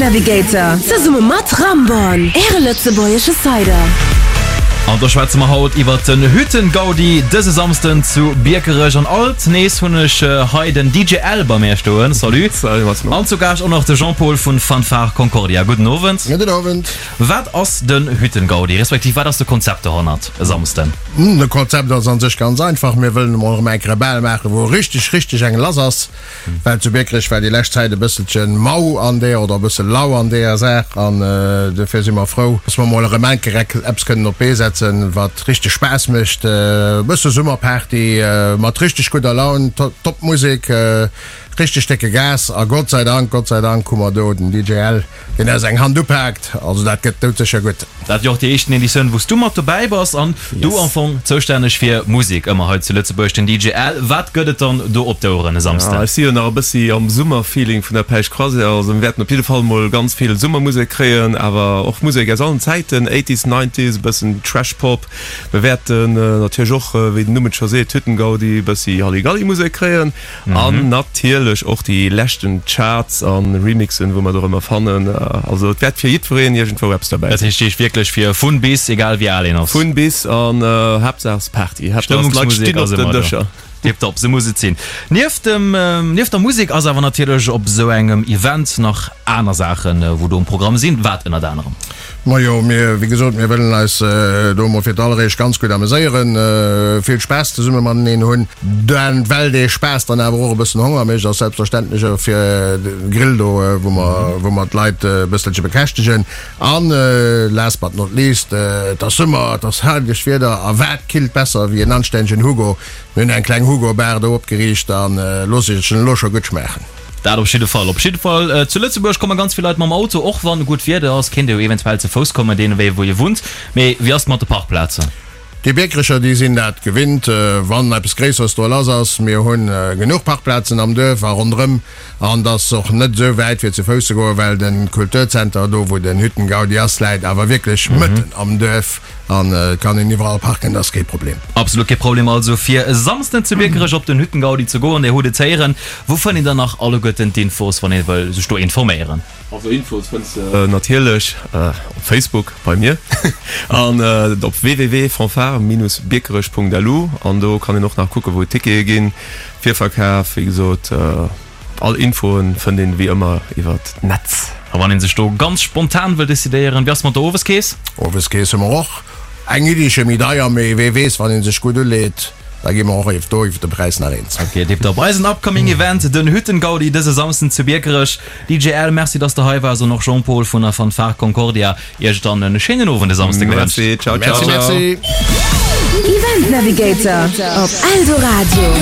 Navigator zesumme mat Ramborn, Äre lëtzebuergesche Cider. An do schwätze mer haut iwwert den Hüttengaudi dëse Samsden zu Biekerech. An alt nees hunn ech hei den DJ Al bei mär stoen. Salut. Salut Massimo. An zu Gaascht och nach de Jean-Paul vun Fanfare Concordia. Gudden Owend. Gudden Owend. Wat ass den Hüttengaudi, respektiv wat ass de Konzept dohannert e Samsden? De Konzept ass an sech ganz einfach, Mir wëllen emol erëm eng Kéier e Bal maachen, wou richteg, richteg eng lass ass. Well zu Biekerech war déi lescht Zäit e bësselche mau an deeër oder e bësse lau an deeër Saach an dofir si mer frou, dass mer emol erëm eng Kéier eppes kënnen op d'Bee setzen, wat richteg Spaass mécht. E bësse Summerparty mat richteg gudder Laun, top Musek, richteg décke Gas a Gott sei Dank, Gott sei Dank hu mer do den DJ Al. Deen eis eng Hand upaakt, also dat gëtt doudsécher gutt. Dat jo och déi éischten Editioun wou s du mat dobäi bass an du am Fong zoustänneg fir Musek ëmmer hei zu Lëtzebuerg, den DJ Al. Wat gëtt et dann do op d'Oueren e Samsden? Ech si jo nach e bëssi am Summerfeeling vun der Päischt Croisière, also mir wäerten op jidde Fall mol ganz vill Summermusek kréien, awer och Musek aus allen Zäiten, Eighties, Nineties, e bëssen Trash Pop. Mir wäerten natierlech och, wéi den Numm et scho seet, Hüttengaudi, e bëssi Halligalli-Musek kréien. An natierlech och déi leschten Charts an Remixen wou mer do rëm erfannen. Also et wäert fir jiddwereen iergendwou eppes derbäi Dat sinn. heescht heescht wierklech fir vun bis, egal wéi al een ass. Vun bis an Haaptsaach ass Party, Haaptsaach ass d'Leit Stëmmungsmusek stinn ass op den ëmmer do. Dëscher. Tiptop, sou muss et sinn. Nieft dem, nieft der Musek ass awer natierlech op esou engem Event nach aner Saachen wou do um Programm sinn. Wat ënnert anerem? Majo, mir, wéi gesot, mir wëllen eis do emol fir d'alleréischt ganz gutt ameséieren, vill Spaass zesumme mateneen hunn. Dan, well dee Spaass dann awer och e bëssen Honger mécht, ass selbstverständlech och fir de Grill do, wou mer, wou mer d'Leit e bësselche bekäschtegen. An last but not least, et ass Summer, et ass herrlecht Wieder a wat killt besser wéi en anstännegen Hugo? Mir hunn eng kleng Hugo-Bar do opgeriicht a loosse sech en elo scho gutt schmaachen. Dat op jidde Fall. Op jidde Fall zu Lëtzebuerg komme ganz vill Leit mam Auto. Och wann gutt Wieder ass, kéint ee jo eventuell ze Fouss kommen, dee Wee wou ee wunnt. Mee wéi ass et mat de Parkplazen? Déi Biekerecher, déi sinn dat gewinnt, wann eppes Gréisseres do lass ass. Mir hu genuch Parkplazen am Duerf a ronderëm. An et ass och net esou wäit fir ze Fouss ze goen, well de Kulturzenter, do wou den Hüttengaudi ass, läit awer wierklech mëtten am Duerf. An et kann een iwwerall parken, dat ass kee Problem. Absolut kee Problem also fir e Samsden zu Biekerech op den Hüttengaudi ze goen. Dir hutt et héieren. Wou fënnt een dann nach alleguerten d'Infos, wann ee wëll sech do informéieren? Also Infos fënns de natierlech op Facebook bei mir an op www.fanfare-biekerech.lu an do kann een och nach kucken wou d'Tickete ginn. Virverkaf wéi gesot. All Infoen fënnt een wéi ëmmer iwwert d'Netz. A wann een sech do ganz spontan wëll decidéieren, wéi ass mat der Oweskeess? Oweskeess hu mer och eng Iddiche méi deier, mee wee weess, wann een sech gutt uleet, da gi mer och iww do iwwert de Präis nach eens. Ok, tiptop. Eisen upcoming Event, den Hüttengaudi dëse Samsden zu Biekerech. DJ Al, merci dass de hei waars an och Jean-Paul vun der Fanfare Concordia. Iech dann en schéinen Owend e Samsde gewënscht. Merci, ciao ciao. Merci, merci. Event Navigator op Eldoradio.